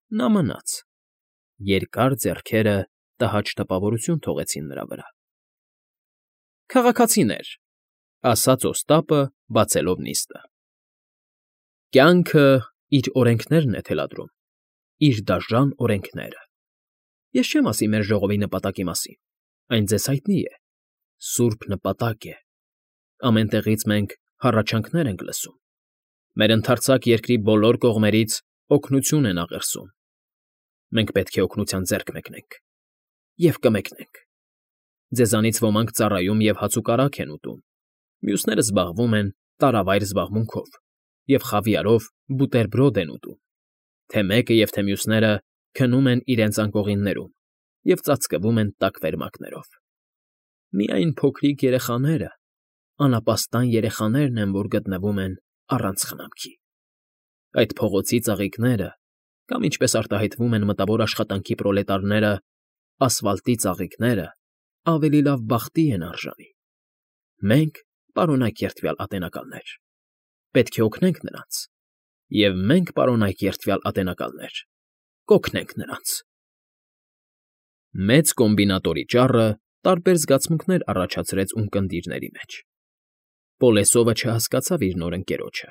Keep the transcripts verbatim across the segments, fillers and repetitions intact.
Նա մնաց։ Երկար ձեռքերը տհաճ տպավորություն թողեցին նրա վրա։ ֊ Քաղաքացիներ,֊ ասաց Օստապը, բացելով նիստը,֊ կյանքը իր օրենքներն է թելադրում, իր դաժան օրենքները։ Ես չեմ ասի մեր ժողովի նպատակի մասին, այն ձեզ հայտնի է, սուրբ նպատակ է։ Ամեն տեղից մենք հառաչանքներ ենք լսում, մեր ընդարձակ երկրի բոլոր կողմերից օգնություն են աղերսում։ Մենք պետք է օգնության ձեռք մեկնենք և կմեկնենք։ Ձեզանից ոմանք ծառայում և հացուկարակ են ուտում, մյուսները զբաղվում են տարավայր զբաղմունքով և խավիարով բուտերբրոդ են ուտում, թե մեկը և թե մյուսները քնում են իրենց անկողիններում և ծածկվում են տաք վերմակներով։ Միայն փոքրիկ երեխաները, անապաստան երեխաներն են, որ գտնվում են առանց խնամքի։ Այդ փողոցի ծաղիկները, կամ ինչպես արտահայտվում են մտավոր աշխատանքի պրոլետարները, ասֆալտի ծաղիկները, ավելի լավ բախտի են արժանի։ Մենք, պարոնայք երդվյալ ատենակալներ, պետք է օգնենք նրանց, և մենք, պարոնայք երդվյալ ատենակալներ, կօգնենք նրանց։ Մեծ կոմբինատորի ճառը տարբեր զգացմունքներ առաջացրեց ունկնդիրների մեջ։ Պոլեսովը չհասկացավ իր նոր ընկերոջը,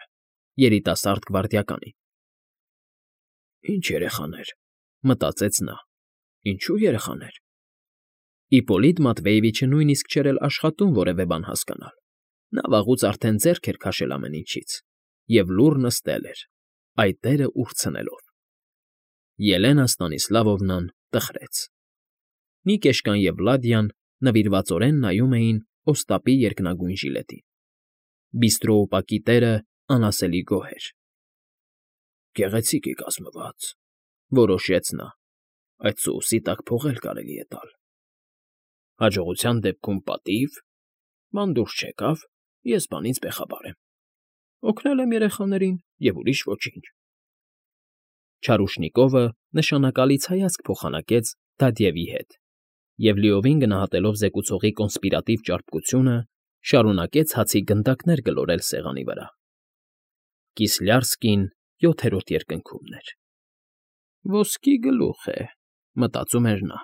երիտասարդ գվարդիականին։ «Ինչ երեխաներ,֊ մտածեց նա,֊ ինչո՞ւ երեխաներ»։ Իպպոլիտ Մատվեևիչը նույնիսկ չէր էլ աշխատում որևէ բան հասկանալ. նա վաղուց արդեն ձեռք էր քաշել ամեն ինչից և լուռ նստել էր, այտերը ուրցնելով։ Ելենա Ստանիսլավովնան տխրեց։ Նիկեշկան և Վլադիան նվիրվածորեն նայում էին Օստապի երկնագույն ժիլետին։ Բիստրոուպակի տերը անասելի գոհ էր։ «Գեղեցիկ է կազմված,֊ որոշեց նա,֊ այդ սոուսի տակ փող էլ կարելի է տալ։ Հաջողության դեպքում պատիվ, բան դուրս չեկավ, ես բանից բեխաբար եմ։ Օգնել եմ երեխաներին և ուրիշ ոչինչ»։ Չարուշնիկովը նշանակալից հայացք փոխանակեց Դադևի հետ և, լիովին գնահատելով զեկուցողի կոնսպիրատիվ ճարպկությունը, շարունակեց հացի գնդակներ գլորել սեղանի վրա։ Կիսլյարսկին յոթերորդ երկնքում էր։ «Ոսկի գլուխ է,֊ մտածում էր նա։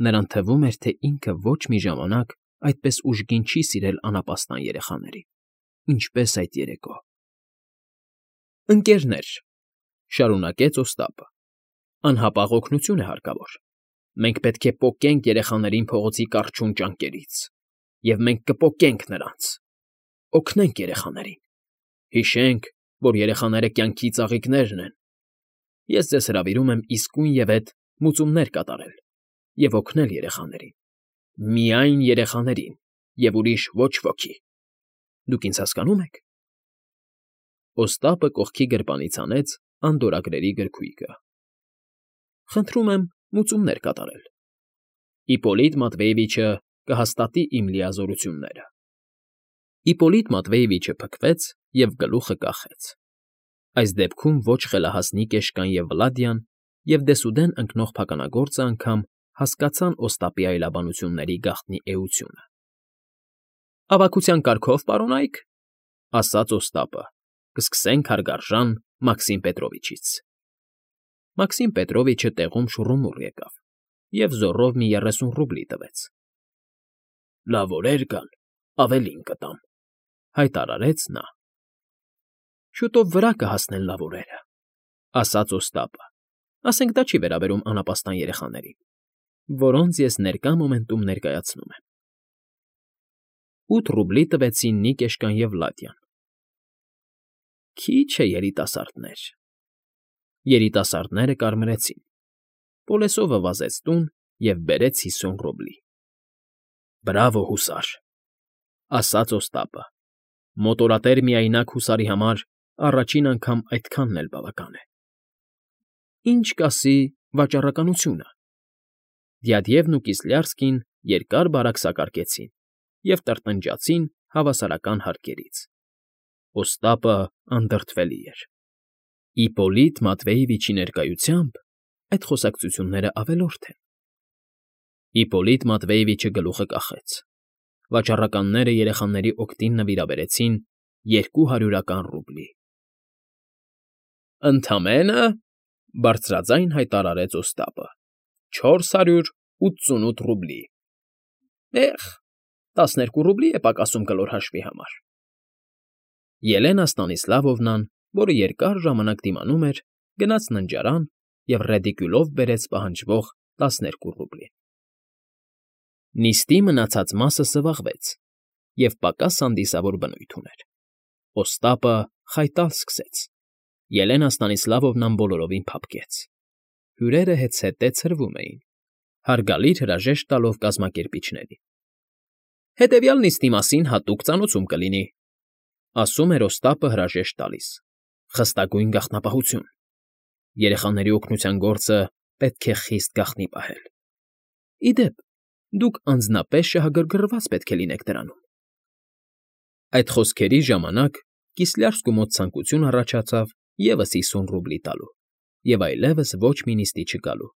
Նրան թվում էր, թե ինքը ոչ մի ժամանակ այդպես ուժգին չի սիրել անապաստան երեխաներին, ինչպես այդ երեկո։ «Ընկերներ,֊ շարունակեց Օստապը,֊ անհապաղ օգնություն է հարկավոր։ Մենք պետք է պոկենք երեխաներին փողոցի կառչուն ճանկերից, և մենք կպոկենք նրանց։ Օգնենք երեխաներին։ Հիշենք, որ երեխաները կյանքի ծաղիկներն են։ Ես ձեզ հրավիրում եմ իսկույնևեթ մուծումներ կատարել և օգնել երեխաներին։ Միայն երեխաներին և ուրիշ ոչ ոքի։ Դուք ինձ հասկանո՞ւմ եք»։ Օստապը կողքի գրպանից հանեց անդորրագրերի գրքույկը։ «Խնդրում եմ մուծումներ կատարել։ Իպպոլիտ Մատվեևիչը կհաստատի իմ լիազորությունները»։ Իպպոլիտ Մատվեևիչը փքվեց և գլուխը կախեց։ Այս դեպքում ոչ խելահաս Նիկեշկան և Վլադիան և դեսուդեն ընկնող փականագործը անգամ հասկացան Օստապի այլաբանությունների գաղտնի էությունը։ «Ավագության կարգով, պարոնայք,֊ ասաց Օստապը,֊ կսկսենք հարգարժան Մաքսիմ Պետրովիչից»։ Մաքսիմ Պետրովիչը տեղում շուռումուռ եկավ և զոռով մի երեսուն ռուբլի տվեց։ «Լավ օրեր գան, ավելին կտամ,֊ հայտարարեց նա։ «Շուտով վրա կհասնեն լավ օրերը,֊ ասաց Օստապը,֊ ասենք դա չի վերաբերում անապաստան երեխաներին, որոնց ես ներկա մոմենտում ներկայացնում եմ»։ Ութ ռուբլի տվեցին Նիկեշկան և Վլադիան։ «Քիչ է, երիտասարդներ»։ Երիտասարդները կարմրեցին։ Պոլեսովը վազեց տուն և բերեց հիսուն ռուբլի։ «Բրավո, հուսար,֊ ասաց Օստապը,֊ մոտորատեր միայնակ հուսարի համար առաջին անգամ այդքանն էլ բավական է»։ «Ինչ կասի վաճառականությունը»։ Դյադևն ու Կիսլյարսկին երկար֊բարակ սակարկեցին և տրտնջացին հավասարական հարկերից։ Օստապը անդրդվելի էր։ Իպպոլիտ Մատվեևիչի ներկայությամբ այդ խոսակցությունները ավելորդ են։ Իպպոլիտ Մատվեևիչը գլուխը կախեց։ Վաճառականները երեխաների օգտին նվիրաբերեցին երկու հարյուրական ռուբլի։ «Ընդամենը,֊ Բարձրաձայն հայտարարեց Օստապը։ Չորս հարյուր ութսունութ ռուբլի։ Էխ, տասներկու ռուբլի է պակասում կլոր հաշվի համար։ Ելենա Ստանիսլավովնան, որը երկար ժամանակ դիմանում էր, գնաց ննջարան և ռեդիկյուլով բերեց պահանջվող տասներկու ռուբլին։ Նիստի մնացած մասը սվաղվեց և պակաս հանդիսավոր բնույթ ուներ։ Օստապը խայտալ սկսեց։ Ելենա Ստանիսլավովնան բոլորովին փափկեց։ Հյուրերը հետզհետե ցրվում էին, հարգալից հրաժեշտ տալով կազմակերպիչներին։ Հետևյալ նիստի մասին հատուկ ծանոթում կլինի, ասում էր Օստապը հրաժեշտ տալիս, խստագույն գաղտնապահություն։ Երեխաների օգնության գործը պետք է խիստ գաղտնի պահել։ Ի դեպ, դուք անձնապես շահագրգռված պետք է լինեք դրանում։ Այդ խոսքերի ժամանակ Կիսլյարսկու մոտ ցանկություն առաջացավ ևս հիսուն ռուբլի տալու և այլևս ոչ մի նիստի չգալու։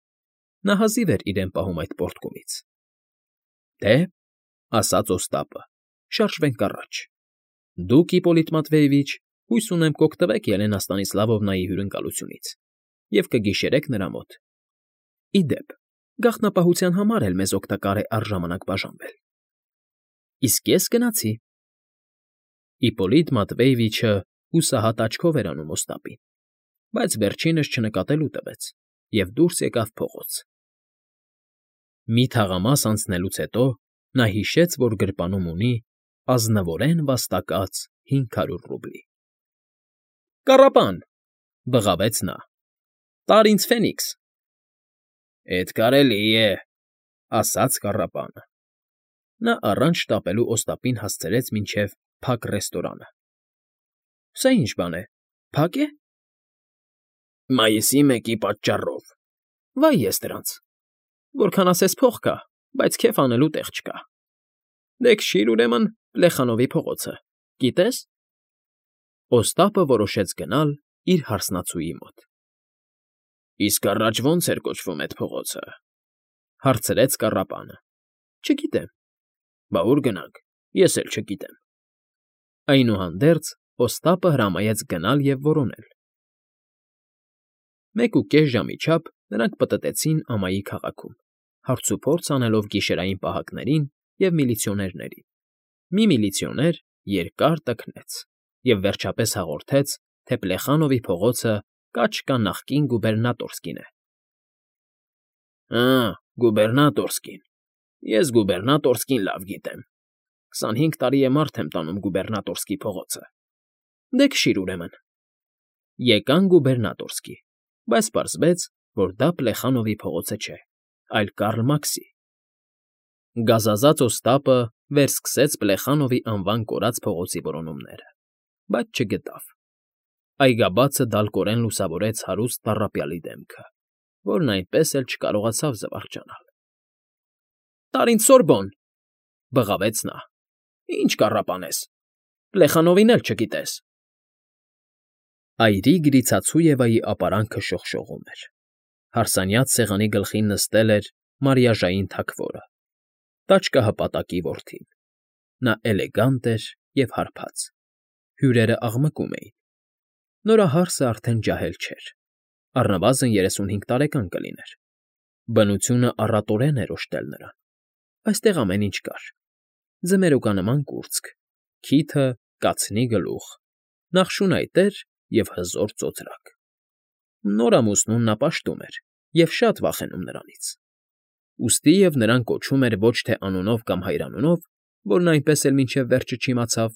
Նա հազիվ էր իրեն պահում այդ պոռթկումից։ Դե, ասաց Օստապը, շարժվենք առաջ։ Դուք, Իպոլիտ Մատվեևիչ, հույս ունեմ կօգտվեք Ելենա Ստանիսլավովնայի հյուրընկալությունից և կգիշերեք նրա մոտ։ Ի դեպ, գաղտնապահության համար էլ մեզ օգտակար է առժամանակ բաժանվել։ Իսկ ես գնացի։ Իպոլիտ Մատվեևիչը հուսահատ աչքով էր անում Օստապին, բայց վերջինս չնկատելու տվեց և դուրս եկավ փողոց։ Մի թաղամաս անցնելուց հետո նա հիշեց, որ գրպանում ունի ազնվորեն վաստակած հինգ հարյուր ռուբլի։ Կառապան,֊ բղավեց նա,֊ տար ինձ ֆենիքս։ Էդ կարելի է,֊ ասաց կառապանը։ Նա առանց շտապելու Օստապին հասցրեց մինչև փակ ռեստորանը։ Սա ի՞նչ բան է, փա՞կ է։ Մայիսի մեկի պատճառով։ Վայ ես դրանց։ Որքան ասես փող կա, բայց քեֆ անելու տեղ չկա։ Դե քշիր ուրեմն Պլեխանովի փողոցը, գիտե՞ս։ Օստապը որոշեց գնալ իր հարսնացուի մոտ։ Իսկ առաջ ո՞նց էր կոչվում էդ փողոցը,֊ հարցրեց կառապանը։ Չգիտեմ։ Բա ուր գնանք, ես էլ չգիտեմ։ Այնուհանդերձ Օստապը հրամայեց գնալ և որոնել։ Մեկուկես ժամի չափ նրանք պտտեցին ամայի քաղաքում, հարցուփորձ անելով գիշերային պահակներին և միլիցիոներներին։ Մի միլիցիոներ երկար տքնեց և վերջապես հաղորդեց, թե Պլեխանովի փողոցը կաչկա նախկին գուբերնատորսկին է։ Ա, գուբերնատորսկին, ես գուբերնատորսկին լավ գիտեմ։ Քսանհինգ տարի է մարդ եմ տանում գուբերնատորսկի փողոցը։ Դե քշիր ուրեմն։ Եկան գուբերնատորսկի, բայց պարզվեց, որ դա Պլեխանովի փողոցը չէ, այլ Կարլ Մաքսի։ Գազազած Օստապը վերսկսեց Պլեխանովի անվան կորած փողոցի որոնումները, բայց չգտավ։ Այգաբացը դալկորեն լուսավորեց հարուստ տառապյալի դեմքը, որն այնպես էլ չկարողացավ զվարճանալ։ Տար ինձ Սորբոն,֊ բղավեց նա։ Ինչ կառապանես, Պլեխանովին էլ չգիտես։ Այրի Գրիցացույևայի ապարանքը շողշողում էր։ Հարսանյաց սեղանի գլխին նստել էր մարիաժային թագվորը, տաճկահպատակի որդին։ Նա էլեգանտ էր և հարբած։ Հյուրերը աղմկում էին։ Նորահարսը արդեն ջահել չէր, առնվազն երեսունհինգ տարեկան կլիներ։ Բնությունը առատորեն էր օժտել նրան։ Այստեղ ամեն ինչ կար. ձմերուկանման կուրծք, քիթը, կացնի գլուխ, նախշունայտեր և հզոր ծոծրակ։ Նոր ամուսնուն նա պաշտում էր և շատ վախենում նրանից։ Ուստիև նրան կոչում էր ոչ թե անունով կամ հայրանունով, որն այնպես էլ մինչև վերջը չիմացավ,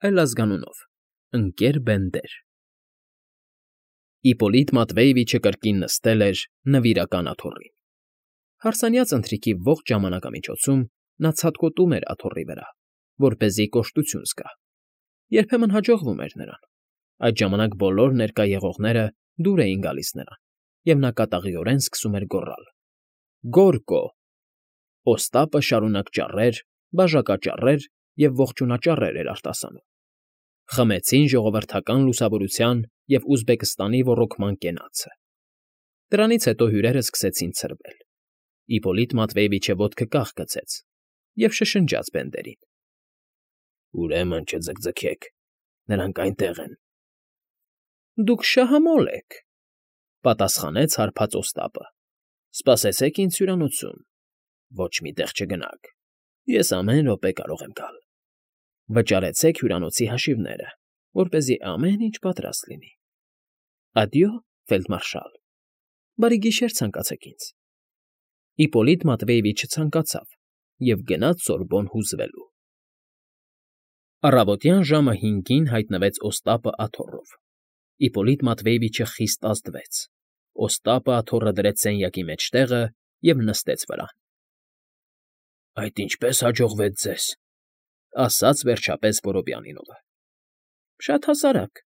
այլ ազգանունով՝ Ընկ.Բենդեր։ Իպոլիտ Մատվեևիչը կրկին նստել էր նվիրական աթոռին։ Հարսանյաց ընթրիքի ողջ ժամանակամիջոցում նա ցատկոտում էր աթոռի վրա, որպեսզի կոշտություն զգա։ Երբեմն հաջողվում էր նրան։ Այդ ժամանակ բոլոր ներկա եղողները դուր էին գալիս նրան, և նա կատաղիորեն սկսում էր գոռալ. Գոռկո… Օստապը շարունակ ճառեր, բաժակաճառեր և ողջունաճառեր էր արտասանում։ Խմեցին ժողովրդական լուսավորության և Ուզբեկստանի ոռոգման կենացը։ Դրանից հետո հյուրերը սկսեցին ցրվել։ Իպոլիտ Մատվեևիչը ոտքը կախ գցեց և շշնջաց Բենդերին. Ուրեմն չձգձգեք, նրանք այնտեղ են։ Դուք շահամոլ եք։ Պատասխանեց հարբած Օստապը։ Սպասեցեք ինձ հյուրանոցում, ոչ մի տեղ չգնաք, ես ամեն րոպե կարող եմ գալ։ Վճարեցեք հյուրանոցի հաշիվները, որպեսզի ամեն ինչ պատրաստ լինի։ Ադյո, ֆելդմարշալ, բարի գիշեր ցանկացեք ինձ։ Իպոլիտ Մատվեևիչը ցանկացավ և գնաց Սորբոն հուզվելու։ Առավոտյան ժամը հինգին հայտնվեց Օստապը աթոռով։ Իպոլիտ Մատվեևիչը խիստ ազդվեց։ Օստապը աթոռը դրեց սենյակի մեջտեղը և նստեց վրան։ ֊ Այդ ինչպե՞ս հաջողվեց ձեզ,֊ ասաց վերջապես Որոբյանինովը։ ֊ Շատ հասարակ,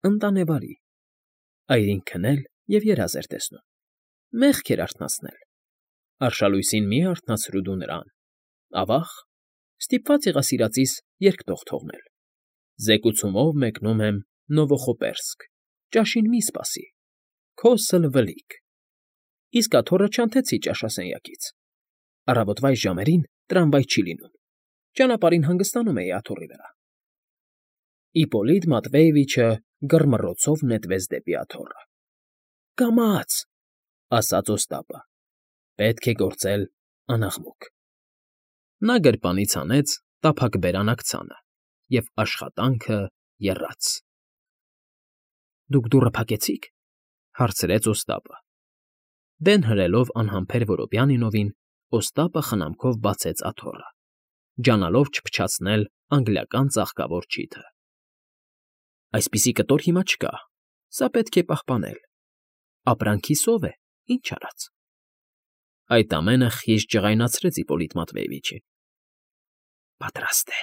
ընտանեվարի։ Այրին քնել և երազ էր տեսնում։ Մեղք էր արթնացնել։ Արշալույսին մի արթնացրու դու նրան, ավա՜ղ, ստիպված եղա սիրածիս երկտող թողնել։ Զեկուցումով մեկնում եմ Նովոխոպերսկ, ճաշին մի սպասի, քոսը լվլիկ։ Իսկ աթոռը չանթեցի ճաշասենյակից։ Առավոտվա այս ժամերին տրամվայ չի լինում։ Ճանապարհին հանգստանում էի աթոռի վրա։ Իպոլիտ Մատվեևիչը գրմռոցով նետվեց դեպի աթոռը։ ֊ Կամաց,֊ ասաց Օստապը,֊ պետք է գործել անաղմուկ։ Նա գրպանից հանեց տափակ բերան աքցանը և աշխատանքը եռաց։ ֊ Դուք դուռը փակեցի՞ք,֊ հարցրեց Օստապը։ Դեն հրելով անհամբեր Որոբյանինովին, Օստապը խնամքով բացեց աթոռը, ջանալով չփչացնել անգլիական ծաղկավոր չիթը։ ֊ Այսպիսի կտոր հիմա չկա, սա պետք է պահպանել։ Ապրանքի սով է, ինչ արած։ Այդ ամենը խիստ ջղայնացրեց Իպոլիտ Մատվեևիչին։ ֊ Պատրաստ է,֊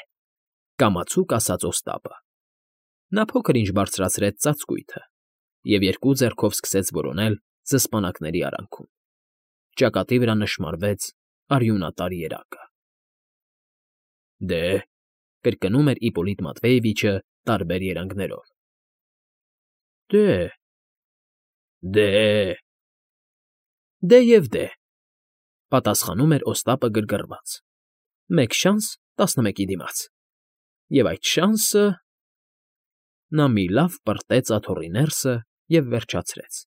կամացուկ ասաց Օստապը։ Նա փոքր֊ինչ բարձրացրեց ծածկույթը և երկու ձեռքով սկսեց որոնել զսպանակների արանքում։ Ճակատի վրա նշմարվեց արյունատար երակը։ ֊ Դե,֊ կրկնում էր Իպոլիտ Մատվեևիչը տարբեր երանգներով։ ֊ Դե… Դե… Դե և դե…֊ պատասխանում էր Օստապը գրգռված։ Մեկ շանս տասնմեկի դիմաց։ Եվ այդ շանսը… Նա մի լավ պրտեց աթոռի ներսը և վերջացրեց։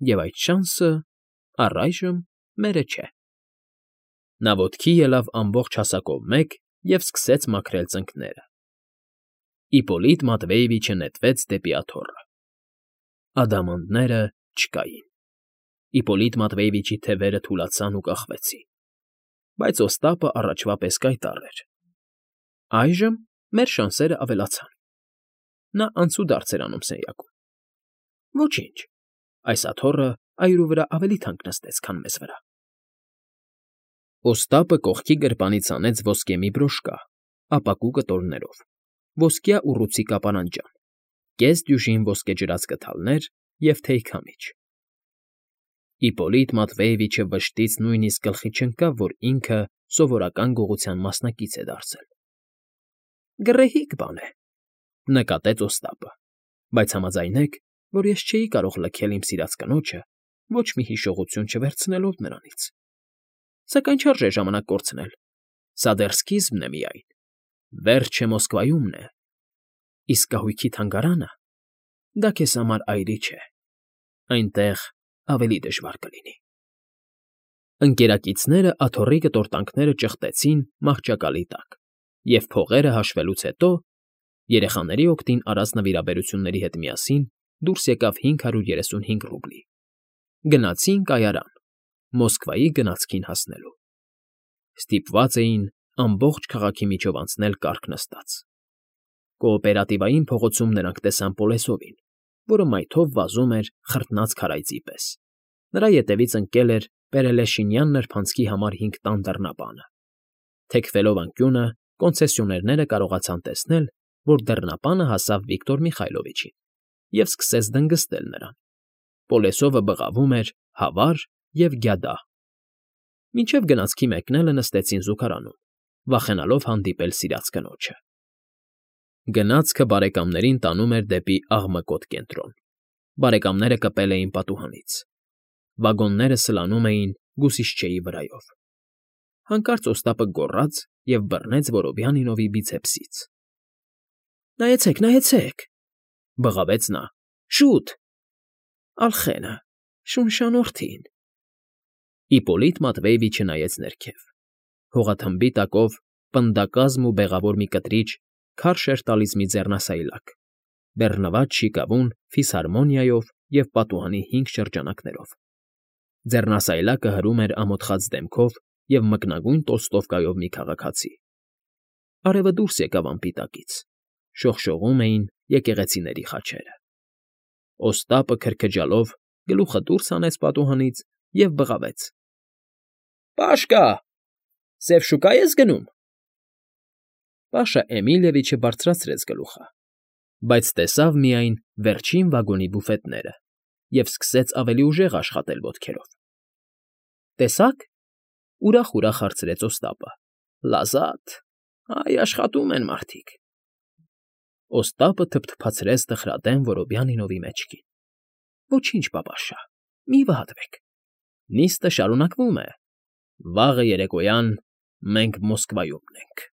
Եվ այդ շանսը առայժմ մերը չէ։ Նա ոտքի ելավ ամբողջ հասակով մեկ և սկսեց մաքրել ծնկները։ Իպոլիտ Մատվեևիչը նետվեց դեպի աթոռը։ Ադամանդները չկային։ Իպոլիտ Մատվեևիչի թևերը թուլացան ու կախվեցին։ Բայց Օստապը առաջվա պես կայտառ էր։ Այժմ մեր շանսերն ավելացան։ Նա անցուդարձ էր անում սենյակում։ Ոչինչ, այս աթոռը այրու վրա ավելի թանկ նստեց, քան մեզ վրա։ Օստապը կողքի գրպանից հանեց ոսկե մի բրոշկա, ապակու կտորներով, ոսկյա ուռուցի կապարանջան, կես դյուժին ոսկեջրած կթալներ և թեյ քամիչ։ Իպոլիտ Մատվեևիչը վշտից նույնիսկ գլխի չընկավ, որ ինքը սովորական գողության մասնակից է դարձել։ ֊ Գռեհիկ բան է,֊ նկատեց Օստապը,֊ բայց համաձայնեք, որ ես չէի կարող լքել իմ սիրած կնոջը ոչ մի հիշողություն չվերցնելով նրանից։ Սակայն չարժե ժամանակ կորցնել, սա դեռ սկիզբն է միայն, վերջը Մոսկվայումն է, իսկ կահույքի թանգարանը… դա քեզ համար այրի չէ, այնտեղ ավելի դժվար կլինի։ Ընկերակիցները աթոռի կտորտանքները ճխտեցին մահճակալի տակ և, փողերը հաշվելուց հետո, երեխաների օգտին արած նվիրաբերությունների հետ միասին դուրս եկավ հինգ հարյուր երեսունհինգ ռուբլի։ Գնացին կայարան՝ Մոսկվայի գնացքին հասնելու։ Ստիպված էին ամբողջ քաղաքի միջով անցնել կառք նստած։ Կոոպերատիվային փողոցում նրանք տեսան Պոլեսովին, որը մայթով վազում էր խրտնած քարայծի պես։ Նրա ետևից ընկել էր Պերելեշինյան նրբանցքի համար հինգ տան դռնապանը։ Թեքվելով անկյունը, կոնցեսիոներները կարողացան տեսնել, որ դռնապանը հասավ Վիկտոր Միխայլովիչին և սկսեց դնգստել նրան։ Պոլեսովը բղավում էր հավար և գյադա։ Մինչև գնացքի մեկնելը նստեցին զուգարանում, վախենալով հանդիպել սիրած կնոջը։ Գնացքը բարեկամներին տանում էր դեպի աղմկոտ կենտրոն։ Բարեկամները կպել էին պատուհանից։ Վագոնները սլանում էին գուսիշչեի վրայով։ Հանկարծ Օստապը գոռաց և բռնեց Որոբյանինովի բիցեպսից։ ֊ Նայեցեք, նայեցեք,֊ բղավեց նա,֊ շուտ… Ալխենը, շունշանորդին… Իպպոլիտ Մատվեևիչը նայեց ներքև. հողաթմբի տակով պնդակազմ ու բեղավոր մի կտրիչ քարշ էր տալիս մի ձեռնասայլակ, բեռնված շիկավուն ֆիսհարմոնիայով և պատուհանի հինգ շրջանակներով. ձեռնասայլակը հրում էր ամոթխած դեմքով և մկնագույն տոլստովկայով մի քաղաքացի. արևը դուրս եկավ անպիտակից, շողշողում էին եկեղեցիների խաչերը… Օստապը քրքջալով գլուխը դուրս հանեց պատուհանից և բղավեց. ֊ Պաշկա, սև շուկա ես գնում… Պաշա Էմիլիևիչը բարձրացրեց գլուխը, բայց տեսավ միայն վերջին վագոնի բուֆետները և սկսեց ավելի ուժեղ աշխատել ոտքերով։ ֊ Տեսա՞ք,֊ ուրախ֊ուրախ հարցրեց Օստապը։֊ Լազատ, այ աշխատում են մարդիկ… Օստապը թփթփացրեց տխրատեն Որոբյանինովի մեջքին։ ֊ Ոչինչ, պապաշա, մի վհատվեք, նիստը շարունակվում է, վաղը երեկոյան մենք Մոսկվայումն ենք։